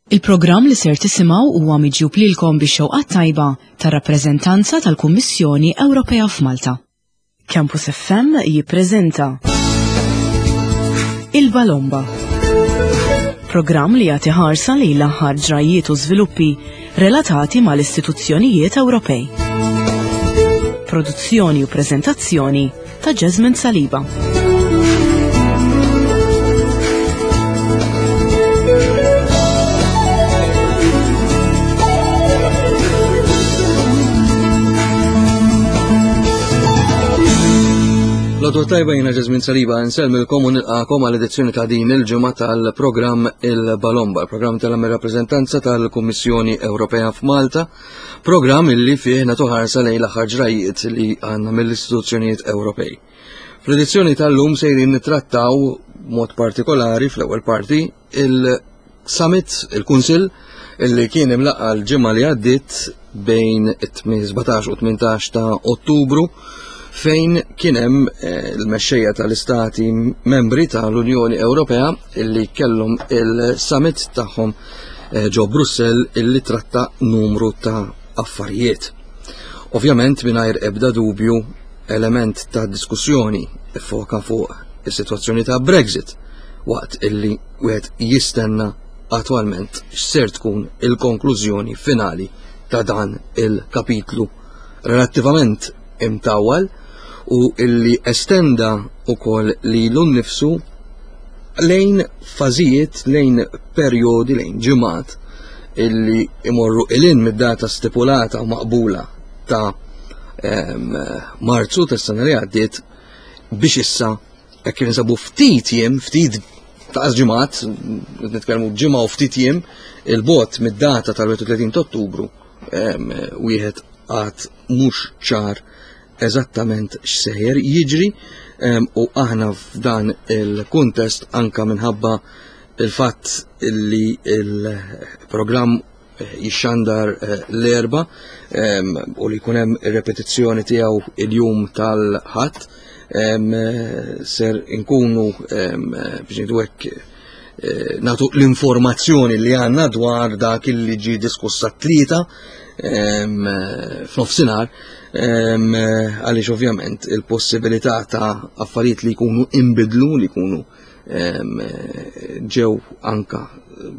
Il-programm li ser tisimgħu huwa miġjub lilkom bix-xewqa t-tajba tar-rappreżentanza tal-Kummissjoni Ewropea f'Malta. Campus FM jippreżenta Il-Balomba. Programm li jagħti ħarsa lejn l-aħħar ġrajjiet u żviluppi relatati mal-istituzzjonijiet Ewropej. Produzzjoni u preżentazzjoni ta' Jasmine Saliba. L-għodwa tajba jina Ġazmin Saliba nsellmilkom u nilqakom għal edizzjoni ta' din il-ġimgħa tal-programm Il-Balomba, il-programm tal-rappreżentanza tal-Kummissjoni Ewropea f'Malta Programm illi fih nagħtu ħarsa lejn l-aħħar ġrajiet li għandna mill-istituzzjonijiet Ewropej. Fl-edizzjoni tal-lum sejrin nittrattaw mod partikolari fl-ewwel parti il-summit, il-Kunsill, illi kien imlaqqa l-ġimgħa li għaddiet bejn 17 u 18 ta' Ottubru fejn kien hemm eh, l-mexxejja tal-istati membri tal-Unjoni Ewropea illi kellhom il-summit tagħhom eh, ġo Brussell illi tratta numru ta' affarijiet. Ovvjament mingħajr ebda dubju element ta' diskussjoni foka fuq is-sitwazzjoni ta' Brexit waqt illi wieħed jistenna attwalment x'ser tkun il-konklużjoni finali ta' dan il-kapitlu relattivament imtawwal u illi estenda ukoll lilu nnifsu lejn fażijiet, lejn perjodi, lejn ġimgħat illi imorru ilin mid-data stipulata u maqbula ta' Marzu tas-sena li għaddiet biex issa hekk kif insabu ftit jiem, ftit ta' ġimgħat, nitkellmu ġimgħa u ftit jiem, il-bot mid-data tal-31 ta' Ottubru wieħed għad mhux ċar eżattament x'sejjer jiġri u aħna f'dan il-kuntest anka minħabba il-fatt li il-programm eh, jixxandar eh, l-erba u li jkun hemm ir-repetizzjoni tiegħu il-jum tal-ħadd eh, ser inkunu biex ngħidu hekk Eh, natu l-informazzjoni li għanna dwar dak li ġi diskussa t-tlieta f'nofsinhar għaliex ovvjament il-possibilità ta' affarijiet li jkunu imbidlu li jkunu ġew anka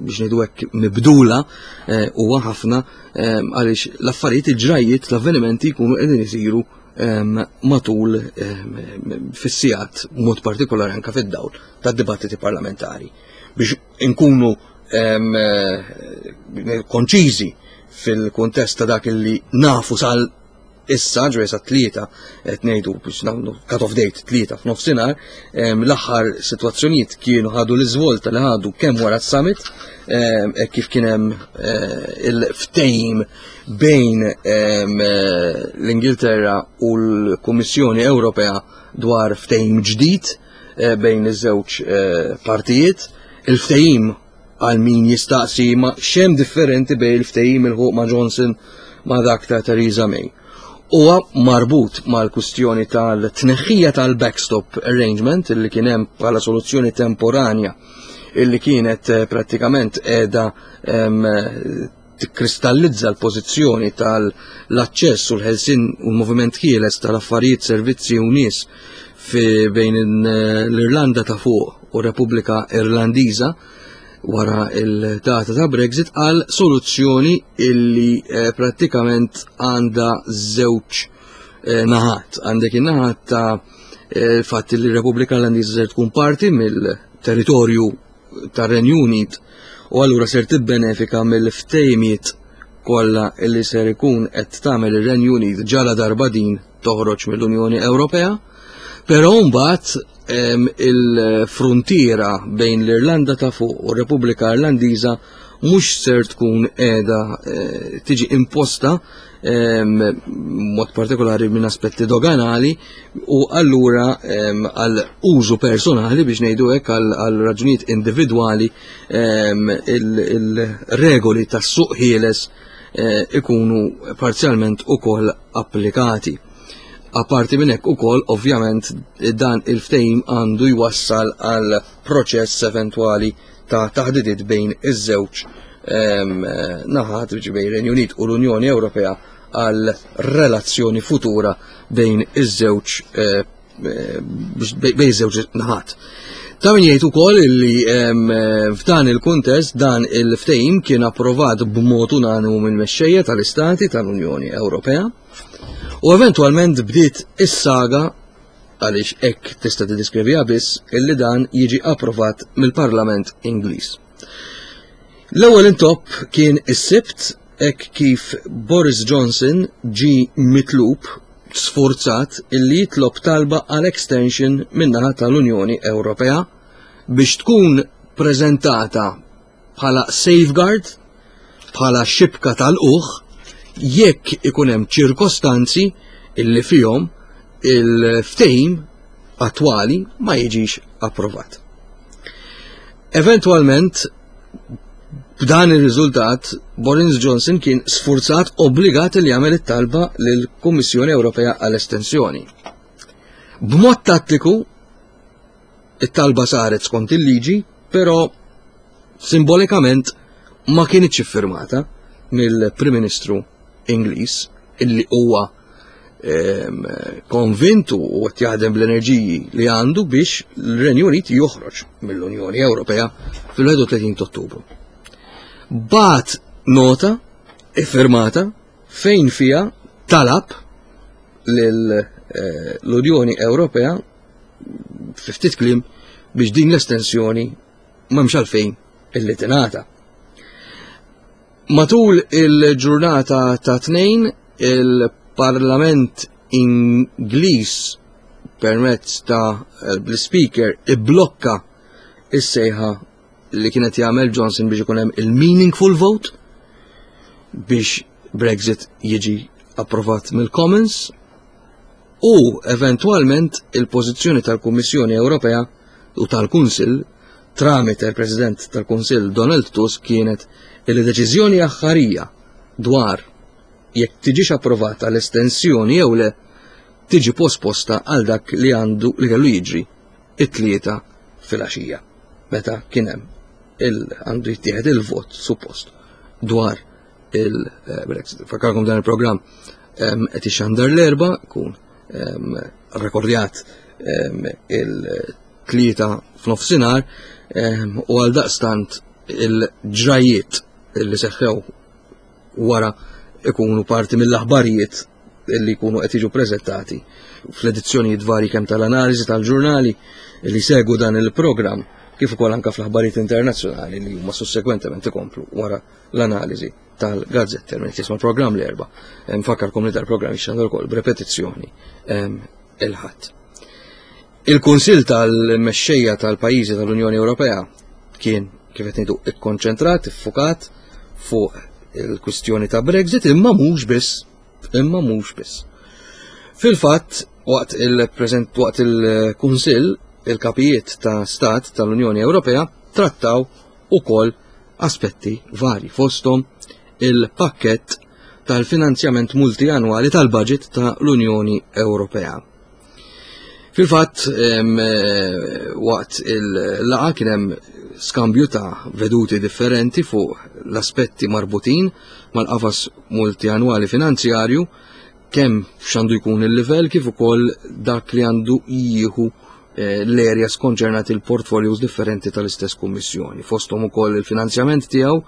biex ngħidu hekk mibdula eh, huwa ħafna għaliex l-affarijiet il-ġrajiet l-avvenimenti jkunu qegħdin isiru matul fis-sigħat mod partikolari anka fid-dawl tad-dibattiti parlamentari biex inkunu eh, konċiżi fil-kuntest ta' dak li nafu sal issa ġwe sa tlieta qed ngħidu biex nagħmlu cut off date tlieta f'nofsinhar, l-aħħar sitwazzjonijiet kienu ħadu l-iżvolta li ħadu kemm wara s-summit hekk kif kien hemm eh, il-ftehim bejn eh, l-Ingilterra u l-Kummissjoni Ewropea dwar ftehim ġdid Eh, bejn iż-żewġ eh, partijiet. Il-ftehim għal min jistaqsi ma xem differenti bejn il-ftehim il-ħuq ma' Johnson ma' dak ta' Theresa May. Huwa marbut mal-kustjoni tal-tneħħija tal-backstop arrangement illi kien hemm bħala soluzzjoni temporanja illi kienet eh, prattikament qiegħda tikkristallizza l-pożizzjoni tal-aċċess u l-ħelsien u l-moviment ħieles tal-affarijiet, servizzi u nies fi bejn l-Irlanda ta' fuq u Repubblika Irlandiża wara il-data ta' Brexit għal soluzzjoni illi eh, prattikament għandha żewġ eh, naħat. Għandek in-naħat ta' eh, fatt li r-Repubblika Irlandiża ser tkun parti mill-territorju tar-Renju Unit u allura ser tibbenefika mill-ftehimiet kollha li ser ikun qed tagħmel ir-Renju Unit ġala darba din toħroġ mill-Unjoni Ewropea. Però mbagħad il-fruntiera bejn l-Irlanda ta' fuq u r-Repubblika Irlandiża mhux ser tkun qiegħda eh, tiġi imposta mod partikolari minn aspetti doganali u allura għal użu personali biex ngħidu hekk għal raġunijiet individwali il-regoli tas-suq ħieles eh, ikunu parzjalment ukoll applikati. Apparti minn hekk ukoll ovvjament dan il-ftehim għandu jwassal għal proċess eventwali ta' taħdidiet bejn iż-żewġ naħat bejn Renju Unit u l-Unjoni Ewropea għal relazzjoni futura bejn iż-żewġ eh, bejn iż-żewġ naħat. Ta' min jgħid ukoll li f'dan il-kuntest dan il-ftehim kien approvat b'mod unanimu mill-mexxejja tal-Istati tal-Unjoni Ewropea u eventwalment bdiet is-saga għaliex hekk tista' tiddeskriviha biss illi dan jiġi approvat mill-Parlament Ingliż. L-ewwel intopp kien is-Sibt hekk kif Boris Johnson ġi mitlub sfurzat illi jitlob talba għal extension min-naħa tal-Unjoni Ewropea biex tkun preżentata bħala safeguard, bħala xibka tal-uħ, jekk ikun hemm ċirkostanzi illi fihom il-ftehim attwali ma jiġix approvat. Eventwalment, b'dan ir-riżultat, Boris Johnson kien sfurzat obbligat li jagħmel it-talba lill-Kummissjoni Ewropea għall-estensjoni. B'mod tattiku, it-talba saret skont il-liġi, però simbolikament ma kienitx iffirmata mill-Prim Ministru Ingliż illi huwa ehm, konvintu u qed jaħdem bl-enerġiji li għandu biex l-Renju Unit joħroġ mill-Unjoni Ewropea fil-31 Ottubru. Bat nota iffirmata fejn fija talab l-Unjoni eh, Ewropea fi ftit kliem biex din l-estensjoni m'hemmx għalfejn illi tingħata. Matul il-ġurnata ta' tnejn il-Parlament Ingliż permezz ta' l-Speaker iblokka is-sejħa li kienet jagħmel Johnson biex ikun hemm il-meaningful vote biex Brexit jiġi approvat mill-Commons u eventwalment il-pożizzjoni tal-Kummissjoni Ewropea u tal-Kunsill tramite l-President tal-Kunsill Donald Tusk kienet li deċiżjoni aħħarija dwar jekk tiġix approvata l-estensjoni jew le tiġi posposta għal dak li għandu li kellu jiġri it-tlieta filgħaxija meta kien hemm għandu jittieħed il-vot suppost dwar il-Brexit. Fakkarkom dan il-programm qed ixandar l-erba' kun rekordjat il-tlieta f'nofsinhar u għal daqstant il-ġrajiet li seħħew wara ikunu parti mill-aħbarijiet li jkunu qed jiġu preżentati fl-edizzjonijiet varji kemm tal-analiżi tal-ġurnali li segu dan il-programm kif ukoll anke fl-aħbarijiet internazzjonali li huma sussegwentement ikomplu wara l-analiżi tal-gazzetti minn jisma' programm l-erba. Nfakkarkom li dal-programm jixxandar ukoll b'repetizzjoni il-ħadd. Il-Kunsill tal-Mexxejja tal-Pajjiżi tal-Unjoni Ewropea kien kif qed ngħidu ikkonċentrat, iffukat fuq il-kwistjoni ta' Brexit imma mhux biss, imma mhux biss. Fil-fatt, waqt il-preżent waqt il-Kunsill, il-kapijiet ta' stat tal-Unjoni Ewropea trattaw ukoll aspetti varji fosthom il-pakkett tal-finanzjament multianwali tal-budget ta' l-Unjoni Ewropea. Fil-fatt, eh, waqt il-laqa kien hemm skambju ta' veduti differenti fuq l-aspetti marbutin mal-qafas multianwali finanzjarju kemm x'għandu jkun il-livell kif ukoll dak li għandu jieħu eh, l-areas konċernati il-portfolios differenti tal-istess kummissjoni. Fosthom ukoll il-finanzjament tiegħu,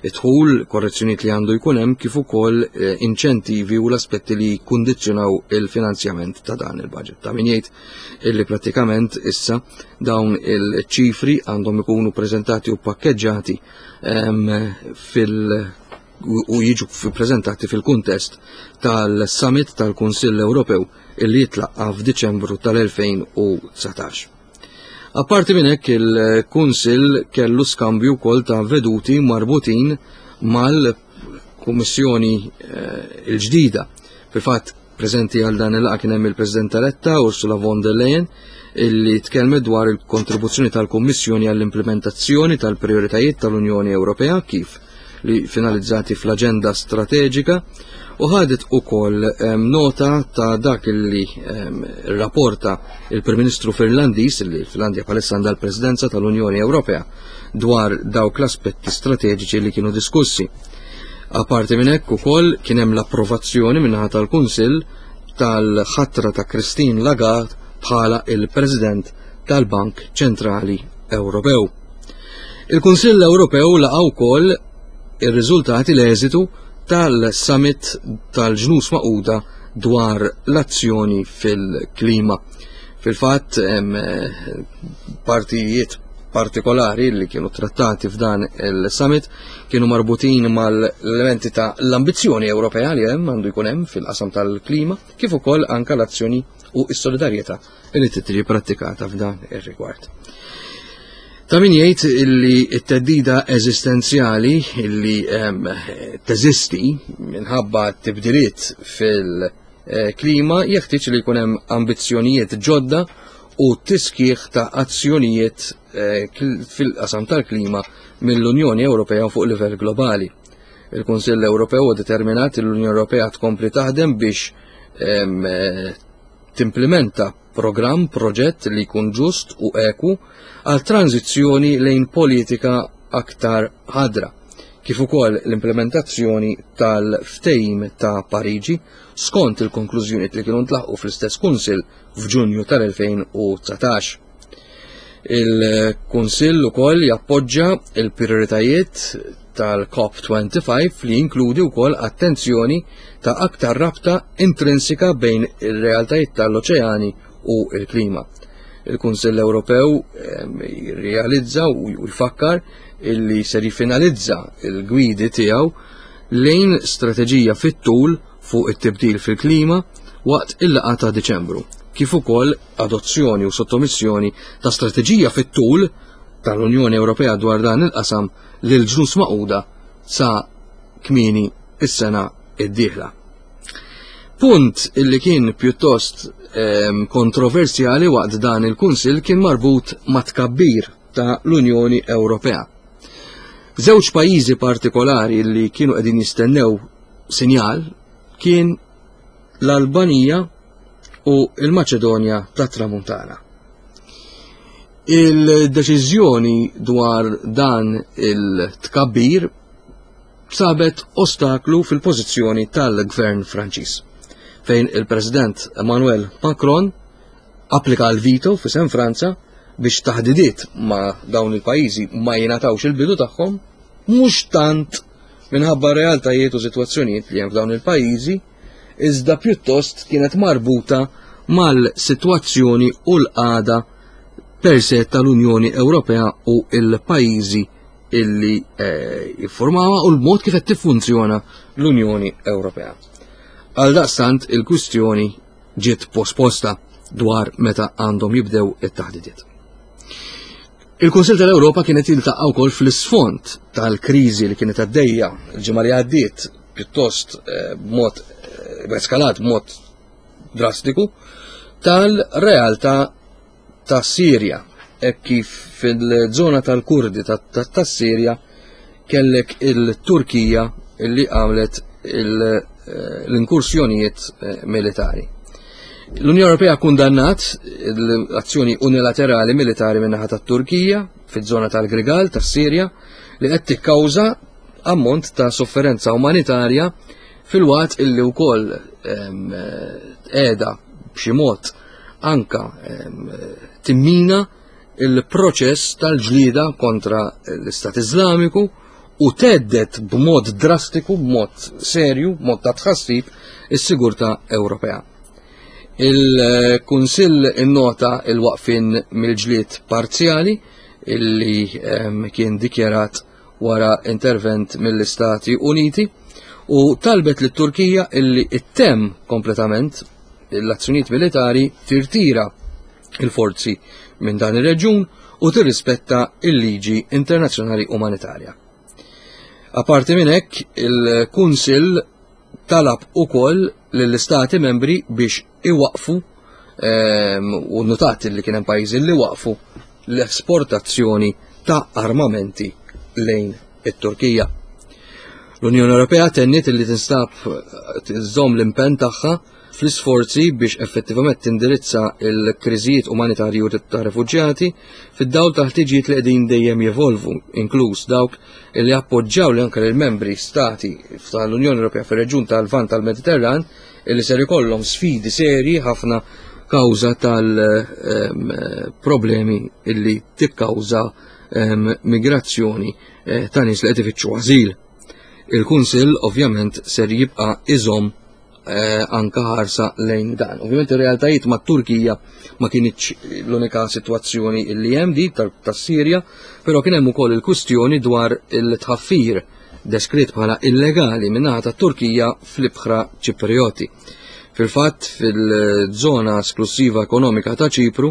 id-dħul, korrezzjonijiet li għandu jkun hemm kif ukoll eh, inċentivi u l-aspetti li jikkundizzjonaw il-finanzjament ta' dan il-budget. Ta' min jgħid illi prattikament issa dawn il-ċifri għandhom ikunu preżentati u pakkeġġati ehm, fil- u jiġu preżentati fil-kuntest tal-Summit tal-Kunsill Ewropew illi jitlaqqa f'Diċembru tal-2019. Apparti minn hekk il-Kunsill kellu skambju wkoll ta' veduti marbutin mal-Kummissjoni eh, il-ġdida. Fil-fatt preżenti għal dan il-laqgħa kien hemm il-President eletta Ursula von der Leyen illi tkellmet dwar il-kontribuzzjoni tal-Kummissjoni għall-implementazzjoni tal-prioritajiet tal-Unjoni Ewropea kif li finalizzati fl-aġenda strateġika u ħadet ukoll nota ta' dak li rapporta il-Prim Ministru Finlandiż li l-Finlandja bħalissa għandha l-Presidenza tal-Unjoni Ewropea dwar dawk l-aspetti strateġiċi li kienu diskussi. Apparti minn hekk ukoll kien hemm l-approvazzjoni min-naħa tal-Kunsill tal-ħatra ta' Christine Lagarde bħala il-President tal-Bank Ċentrali Ewropew. Il-Kunsill Ewropew laqa' wkoll ir-riżultati l-eżitu tal-Summit tal-Ġnus Magħquda dwar l-azzjoni fil-klima. Fil-fatt hemm eh, partijiet partikolari li kienu trattati f'dan il-summit kienu marbutin mal-elementi ta' l-ambizzjoni Ewropea li hemm għandu jkun hemm fil-qasam tal-klima, kif ukoll anka l-azzjoni u s-solidarjetà li tiġi prattikata f'dan ir-rigward. Ta' min jgħid illi t-teddida eżistenzjali illi teżisti minħabba tibdiliet fil-klima jeħtieġ li jkun hemm ambizzjonijiet ġodda u tiskieħ ta' azzjonijiet eh, fil-qasam tal-klima mill-Unjoni Ewropea fuq livell globali. Il-Kunsill Ewropew huwa determinat li l-Unjoni Ewropea tkompli taħdem biex eh, timplimenta programm, proġett li jkun ġust u eku għal tranżizzjoni lejn politika aktar ħadra, kif ukoll l-implementazzjoni tal-Ftehim ta' Pariġi skont il-konklużjonijiet li kienu ntlaħqu fl-istess Kunsill f'Ġunju tal-2019. Il-Kunsill ukoll jappoġġa il-prijoritajiet tal-COP25 li jinkludi wkoll attenzjoni ta' aktar rabta intrinsika bejn ir-realtajiet tal-oċeani u l-klima. Il-Kunsill Ewropew ehm, jirrealizza u jfakkar illi ser jiffinalizza il-gwidi tiegħu lejn strateġija fit-tul fuq it-tibdil fil-klima waqt il-laqgħa ta' Diċembru, kif ukoll adozzjoni u sottomissjoni ta' strateġija fit-tul tal-Unjoni Ewropea dwar dan il-qasam lil Ġnus Magħquda sa kmieni is-sena d-dieħla. Punt illi kien pjuttost ehm, kontroversjali waqt dan il-Kunsill kien marbut ma' tkabbir ta' l-Unjoni Ewropea. Żewġ pajjiżi partikolari li kienu qegħdin jistennew sinjal kien l-Albanija u l-Maċedonja tat-Tramuntana. Il-deċiżjoni dwar dan il-tkabbir sabet ostaklu fil-pożizzjoni tal-gvern Franċiż, fejn il-President Emmanuel Macron applika l-veto f'isem Franza biex taħdidiet ma' dawn il-pajjiżi ma jingħatawx il-bidu tagħhom, mhux tant minħabba realtajiet u sitwazzjonijiet li hemm f'dawn il-pajjiżi, iżda pjuttost kienet marbuta mal-sitwazzjoni u l-qagħda per se tal-Unjoni Ewropea u l-pajjiżi illi eh, jiffurmawha u l-mod kif qed tiffunzjona l-Unjoni Ewropea. Għal daqstant il-kwistjoni ġiet posposta dwar meta għandhom jibdew it-taħdidiet. Il-Kunsill tal-Ewropa kienet jiltaqa' wkoll fl-isfond tal-kriżi li kienet għaddejja l-ġimgħa li għaddiet pjuttost eh, b'mod eh, eskalat b'mod drastiku tal-realtà ta' Sirja hekk kif fil-żona tal-Kurdi tas-Sirja kellek il-Turkija li għamlet eh, l-inkursjonijiet militari. L-Unjoni Ewropea kundannat l-azzjoni unilaterali militari min-naħa tat-Turkija fiż-żona tal-Grigal tas-Sirja li qed tikkawża ammont ta' sofferenza umanitarja filwaqt illi wkoll qiegħda b'xi mod anka timmina il-proċess tal-ġlieda kontra l-Istat Iżlamiku u teddet b'mod drastiku, b'mod serju, b'mod ta' tħassib is-sigurtà Ewropea. Il-Kunsill innota il-waqfin mill-ġlied parzjali illi kien dikjarat wara intervent mill-Istati Uniti u talbet lit Turkija illi ittemm kompletament l-azzjonijiet militari tirtira il-forzi minn dan ir-reġjun u tirrispetta il-liġi internazzjonali umanitarja. Aparti minn hekk, il-Kunsill talab ukoll lill-istati membri biex iwaqfu ehm, u notat li kien hemm pajjiżi li waqfu l-esportazzjoni ta' armamenti lejn it-Turkija. L-Unjoni Ewropea tenniet li tinstab tżomm l-impenn tagħha fl-isforzi biex effettivament tindirizza l-kriżijiet umanitarji u ta' refuġjati fid-dawl ta' ħtiġijiet li qegħdin dejjem jevolvu, inkluż dawk li appoġġjaw li anke l-membri stati tal-Unjoni Ewropea fir-reġjun tal-Lvant tal-Mediterran li ser ikollhom sfidi serji ħafna kawża tal-problemi illi tikkawża migrazzjoni eh, ta' nies li qed ifittxu ażil. Il-Kunsill ovvjament ser jibqa' iżomm eh, anka ħarsa lejn dan. Ovvjament ir-realtajiet ma' Turkija ma kienx l-unika sitwazzjoni illi hemm di tas-Sirja, però kien hemm ukoll il-kwistjoni dwar il-tħaffir deskritt bħala illegali min-naħa tat-Turkija fl-ibħra Ċiprioti. Fil-fatt, fil-żona esklusiva ekonomika ta' Ċipru,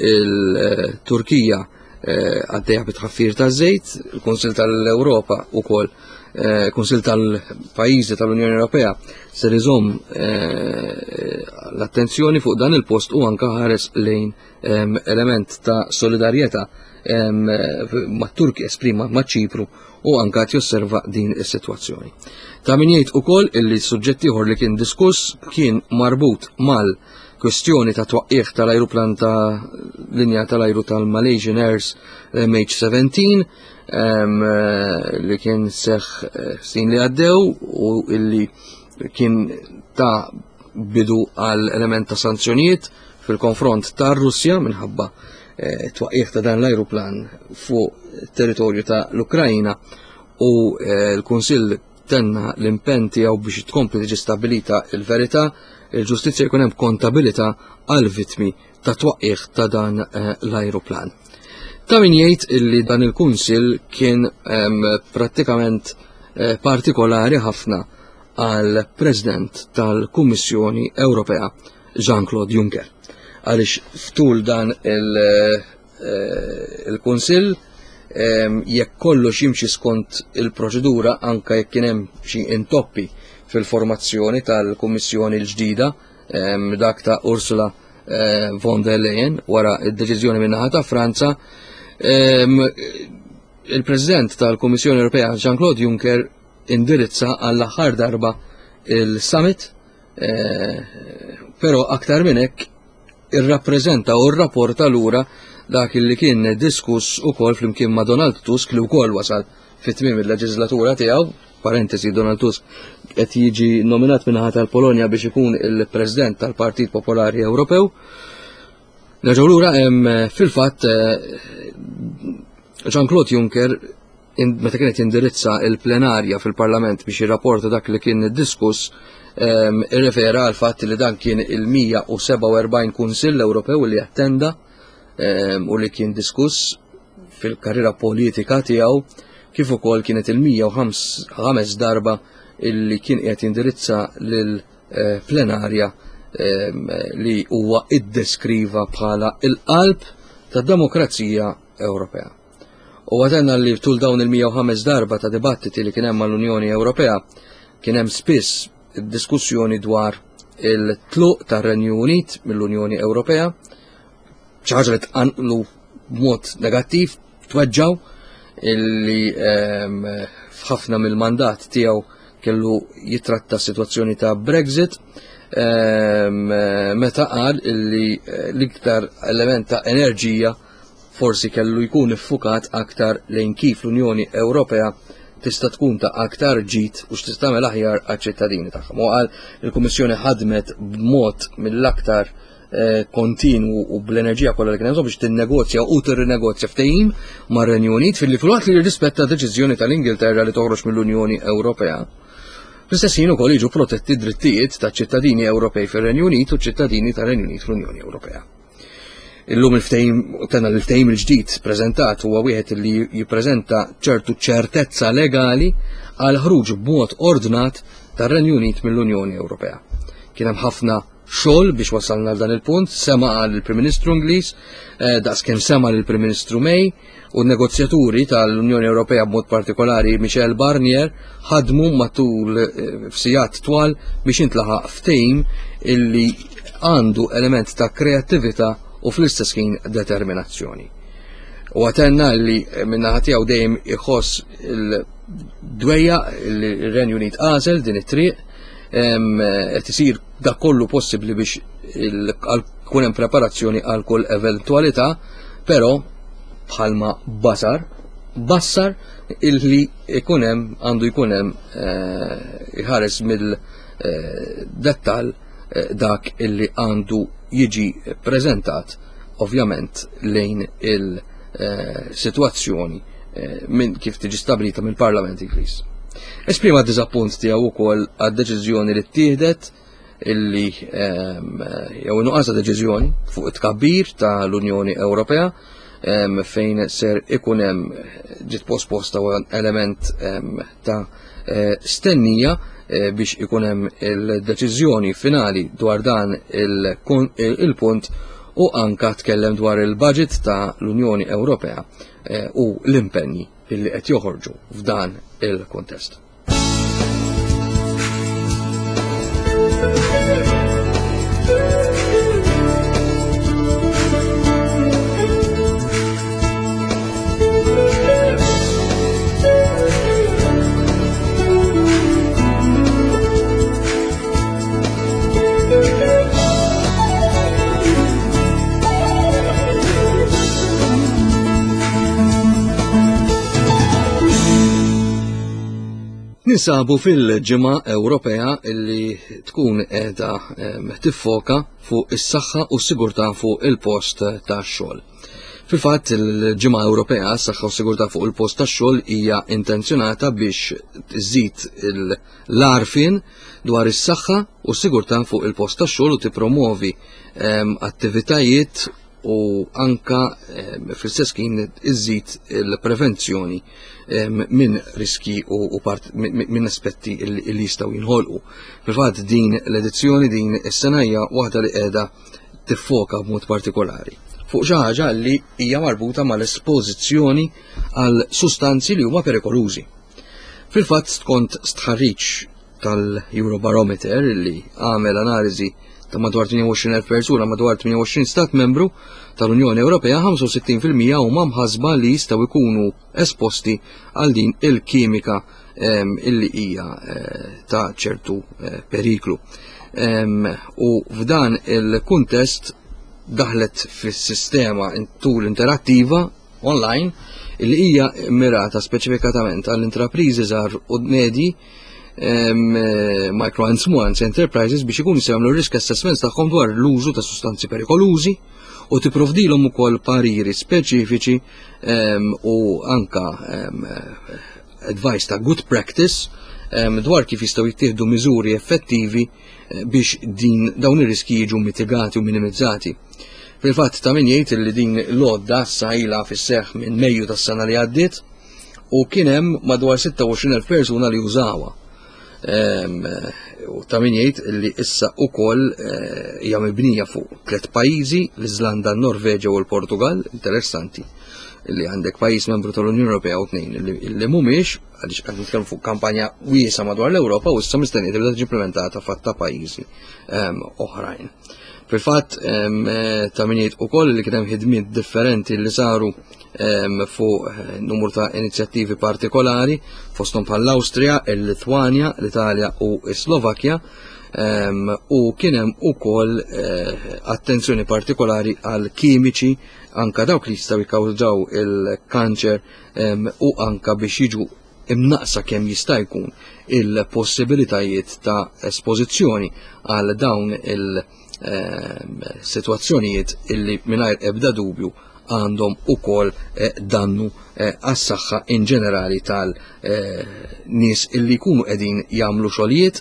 il-Turkija eh, għaddejja bit-tħaffir ta' żejt, il-Kunsil tal-Ewropa ukoll eh, Kunsil tal-Pajjiżi tal-Unjoni Ewropea ser iżomm eh, l-attenzjoni fuq dan il-post u anka ħares lejn element ta' solidarjetà mat-Turki esprima ma' Ċipru u anka qed josserva din is-sitwazzjoni. Ta' min jgħid ukoll illi suġġett ieħor li kien diskuss kien marbut mal kwestjoni ta' twaqqigħ tal-ajruplan ta' linja tal-ajru tal-Malaysian Airs MH17 li kien seħ eh, snin li għaddew u illi kien ta' bidu għal element ta' sanzjonijiet fil-konfront ta' Russja minħabba eh, twaqqigħ ta' dan l-ajruplan fuq territorju ta' l-Ukrajina u eh, l-Kunsill tenna l-impenn tiegħu biex tkompli tiġi stabbilita l-verità, il-ġustizzja jkun hemm kontabilità għal vittmi ta' twaqqigħ ta' dan eh, l-ajruplan. Ta' min jgħid illi dan il-kunsil kien ehm, prattikament eh, partikolari ħafna għal President tal-Kummissjoni Ewropea Jean-Claude Juncker. Għaliex ftul dan il- Eh, il-Kunsill ehm, jekk kollox jimxi skont il-proċedura anka jekk kien hemm xi intoppi fil-formazzjoni tal-Kummissjoni l-ġdida ehm, dak ta' Ursula eh, von der Leyen wara id-deċiżjoni min-naħa ta' Franza ehm, il-President tal-Kummissjoni Ewropea Jean-Claude Juncker indirizza għall-aħħar darba il-summit eh, però aktar minn hekk irrappreżenta u rrapporta lura dak li kien diskuss ukoll flimkien ma' Donald Tusk li wkoll wasal fi tmiem il-leġislatura tiegħu, parentesi Donald Tusk qed jiġi nominat minnaħa tal-Polonja biex ikun il-President tal-Partit Popolari Ewropew. Nerġgħu lura hemm fil-fatt eh, Jean-Claude Juncker meta kienet jindirizza il-plenarja fil-Parlament biex jirrapporta dak li kien diskuss, ehm, irrefera għal fatt li dan kien il-147 Kunsill Ewropew li attenda ehm, u li kien diskuss fil-karriera politika tiegħu kif ukoll kienet il-105 darba illi kien qiegħed jindirizza lil eh, plenarja ehm, li huwa iddeskriva bħala il-qalb tad-demokrazija Ewropea. Huwa tenna li tul dawn il-105 darba ta' dibattiti li kien hemm mal-Unjoni Ewropea kien hemm spiss diskussjoni dwar il-tluq tar-Renju Unit mill-Unjoni Ewropea, xi ħaġa li tqanqlu b'mod negattiv, tweġġaw illi ehm, f'ħafna mill-mandat tiegħu kellu jitratta s-sitwazzjoni ta' Brexit ehm, meta qal illi eh, l-iktar element ta' enerġija forsi kellu jkun iffukat aktar lejn kif l-Unjoni Ewropea tista' tkun ta' aktar ġid u x'tista' tagħmel aħjar għaċ-ċittadini tagħha. U qal il-Kummissjoni ħadmet b'mod mill-aktar eh, kontinwu u bl-enerġija kollha li kien hemm biex tinnegozja u tirrinegozja ftehim mar-Renju Unit filli filwaqt li jirrispetta deċiżjoni tal-Ingilterra li toħroġ mill-Unjoni Ewropea. Fl-istess ħin ukoll jiġu protetti drittijiet ta' ċittadini Ewropej fir-Renju Unit u ċittadini tar-Renju Unit fl-Unjoni Ewropea. Illum il-ftehim, tenna l-ftehim il-ġdid preżentat huwa wieħed li jippreżenta ċertu ċertezza legali għal ħruġ b'mod ordnat tar-Renju Unit mill-Unjoni Ewropea. Kien hemm ħafna xogħol biex wasalna għal dan il-punt, sema għal il-Prim Ministru Ingliż, eh, daqs kemm sema lill-Prim Ministru May, u n-negozjaturi tal-Unjoni Ewropea b'mod partikolari Michel Barnier ħadmu matul eh, f'sigħat twal biex intlaħaq ftehim illi għandu element ta' kreattività u fl-istess ħin determinazzjoni. U għatenna li eh, minnaħa tiegħu dejjem iħoss il Dwejjaq li r-Renju Unit għażel din it-triq, qed isir dak kollu possibbli biex kun hemm preparazzjoni għal kull eventwalità, però bħalma basar, bassar illi ikun hemm għandu jkun hemm eh, iħares mill-dettall eh, dak illi għandu jiġi preżentat ovvjament lejn il-sitwazzjoni eh, minn kif tiġi stabilita mill-Parlament Ingliż. Esprima d-diżappunt tiegħu wkoll għad-deċiżjoni li ttieħdet illi ehm, jew nuqqas ta' deċiżjoni fuq it-tkabbir tal-Unjoni Ewropea ehm, fejn ser ikun hemm ġiet posposta element ehm, ta' eh, stennija eh, biex ikun hemm il-deċiżjoni finali dwar dan il-punt u anka tkellem dwar il-budget ta' l-Unjoni Ewropea eh, u l-impenji illi qed joħorġu f'dan il-kuntest. Ninsabu fil-ġimgħa Ewropea illi tkun qiegħda tiffoka fuq is-saħħa u s-sigurtà fuq il-post tax-xogħol. Fil-fatt, il-Ġimgħa Ewropea għas-Saħħa u Sigurtà fuq il-Post tax-Xogħol hija intenzjonata biex tżid l-għarfien dwar is-saħħa u s-sigurtà fuq il-post tax-xogħol u tippromovi ehm, attivitajiet u anka ehm, fl-istess kien iżid il-prevenzjoni ehm, minn riski u minn aspetti li jistgħu jinħolqu. Fil-fatt din l-edizzjoni din is-sena hija waħda li qiegħda tiffoka b'mod partikolari fuq xi ħaġa li hija marbuta mal-espożizzjoni għal sustanzi li huma perikolużi. Fil-fatt skont stħarriġ tal-Eurobarometer li għamel analiżi ta' madwar 28,000 persuna madwar 28 stat membru tal-Unjoni Ewropea, 65% huma mħasba li jistgħu jkunu esposti għal din il-kimika ehm, illi hija eh, ta' ċertu eh, periklu. Ehm, u f'dan il-kuntest daħlet fis-sistema tool interattiva online illi hija mirata speċifikatament għall-intrapriżi żgħar u medji ehm, eh, micro and small enterprises biex ikunu jagħmlu risk assessments tagħhom dwar l-użu ta' sustanzi perikolużi u tipprovdilhom ukoll pariri speċifiċi ehm, u anka ehm, advice ta' good practice dwar kif jistgħu jittieħdu miżuri effettivi eh, biex din dawn ir-riski jiġu mitigati u minimizzati. Fil-fatt ta' min jgħid li din l-għodda issa ilha fis-seħħ minn Mejju tas-sena li għaddiet u kien hemm madwar 26,000 persuna li użawha. Ehm, u ta' min jgħid li issa ukoll eh, hija mibnija fuq tliet pajjiżi, l-Iżlanda, n-Norveġja u l-Portugal, interessanti li għandek pajjiż membru tal-Unjoni Ewropea u tnejn li mhumiex għaliex qed nitkellmu fuq kampanja wiesa madwar l-Ewropa u issa mistennija tibda tiġi implementata fatta pajjiżi ehm, oħrajn. Fil-fatt eh, ta' min jgħid ukoll li kien hemm ħidmiet differenti li saru fuq eh, numru ta' inizjattivi partikolari fosthom bħall-Awstrija, il-Litwanja, l-Italja u s-Slovakkja u kien hemm ukoll eh, attenzjoni partikolari għal kimiċi anka dawk li jistgħu jikkawżaw il-kanċer u anka biex jiġu imnaqsa kemm jista' jkun il-possibilitajiet ta' espożizzjoni għal dawn il-sitwazzjonijiet illi mingħajr ebda dubju għandhom ukoll eh, dannu eh, għas-saħħa in ġenerali tal-nies eh, illi jkunu qegħdin jagħmlu xogħlijiet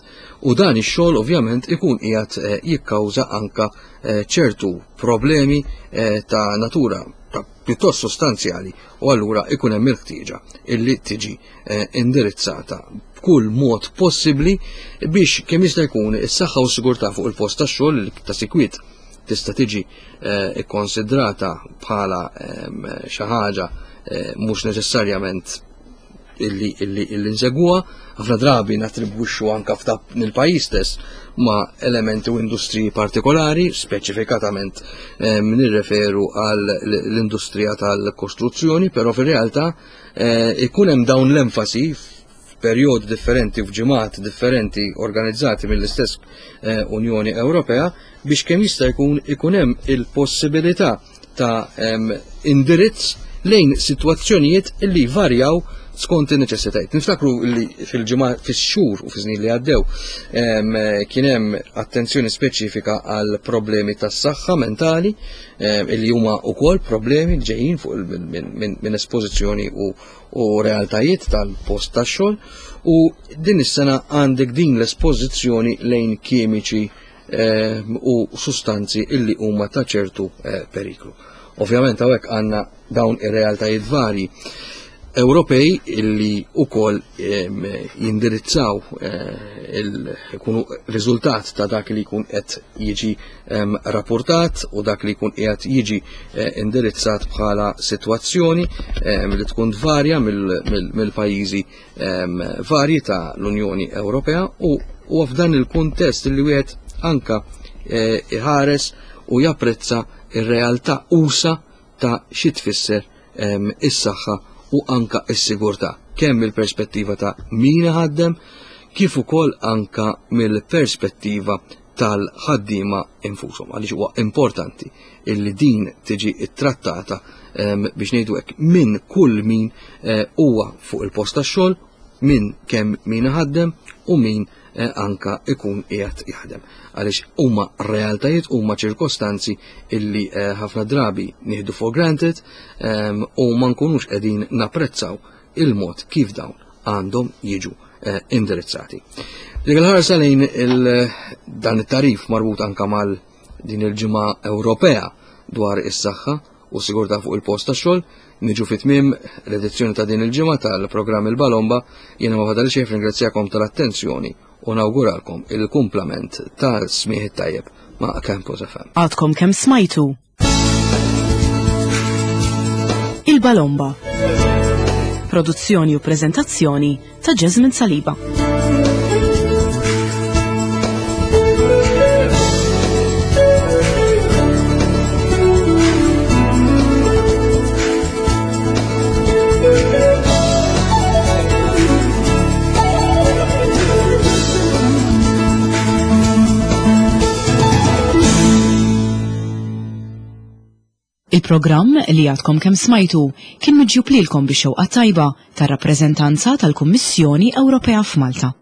u dan ix-xogħol ovvjament ikun qiegħed jikkawża anka ċertu problemi ta' natura ta' pjuttost sostanzjali u allura ikun hemm il-ħtieġa illi tiġi eh, indirizzata b'kull mod possibbli biex kemm jista' jkun is-saħħa u s-sigurtà fuq il-post tax-xogħol li ta' sikwit tista' tiġi eh, ikkonsidrata bħala ehm, xi ħaġa eh, mhux neċessarjament illi illi illi nsegwuha, ħafna drabi nattribwixxu anka f'dak il-pajjiż stess ma' elementi u industriji partikolari, speċifikatament eh, nirreferu għal l-industrija tal-kostruzzjoni, però fir-realtà eh, ikun hemm dawn l-enfasi f'perjodi differenti u f'ġimgħat differenti organizzati mill-istess eh, Unjoni Ewropea biex kemm jista' jkun ikun hemm il-possibilità ta' indirizz lejn sitwazzjonijiet li varjaw skont in-neċessitajiet. Niftakru li fil-ġimgħa fix-xhur u fiż-snin li għaddew kien hemm attenzjoni speċifika għal problemi tas-saħħa mentali li huma wkoll problemi li ġejjin fuq minn espożizzjoni u, u realtajiet tal-post tax-xogħol u din is-sena għandek din l-espożizzjoni lejn kimiċi u sustanzi illi huma ta' ċertu eh, periklu. Ovvjament hawnhekk għandna dawn ir-realtajiet varji Ewropej illi ukoll jindirizzaw eh, ikunu riżultat ta' dak li jkun qed jiġi rapportat u dak li jkun qiegħed jiġi eh, indirizzat bħala sitwazzjoni li tkun tvarja mill-pajjiżi varji ta' l-Unjoni Ewropea u u f'dan il-kuntest li wieħed anka eh, iħares u japprezza ir-realtà usa ta' xi tfisser is-saħħa u anka s-sigurtà kemm mill-perspettiva ta' min iħaddem kif ukoll anka mill-perspettiva tal-ħaddiema infushom għaliex huwa importanti illi din tiġi ttrattata biex ngħidu hekk minn kull min eh, huwa fuq il-post tax-xogħol, minn kemm min iħaddem u min eh, anka ikun qiegħed jaħdem. Għaliex huma realtajiet huma ċirkostanzi illi eh, ħafna drabi nieħdu for granted u ma nkunux qegħdin napprezzaw il-mod kif dawn għandhom jiġu eh, indirizzati. Dik il-ħarsa lejn dan it-tarif marbut anka mal din il-ġimgħa Ewropea dwar is-saħħa u sigurtà fuq il-post tax-xogħol, niġu fi tmiem l-edizzjoni ta' din il-ġimgħa tal-programm Il-Balomba, jiena ma fadal xejn ringrazzjakom tal-attenzjoni u nawguralkom il-kumplament tal-smieħ tajjeb ma' Campus FM. Għadkom kemm smajtu Il-Balomba. Produzzjoni u prezentazzjoni ta' Jasmine Saliba. Il-programm li għadkom kemm smajtu kien miġjub lilkom bix-xewqa tajba tar-rappreżentanza tal-Kummissjoni Ewropea f'Malta.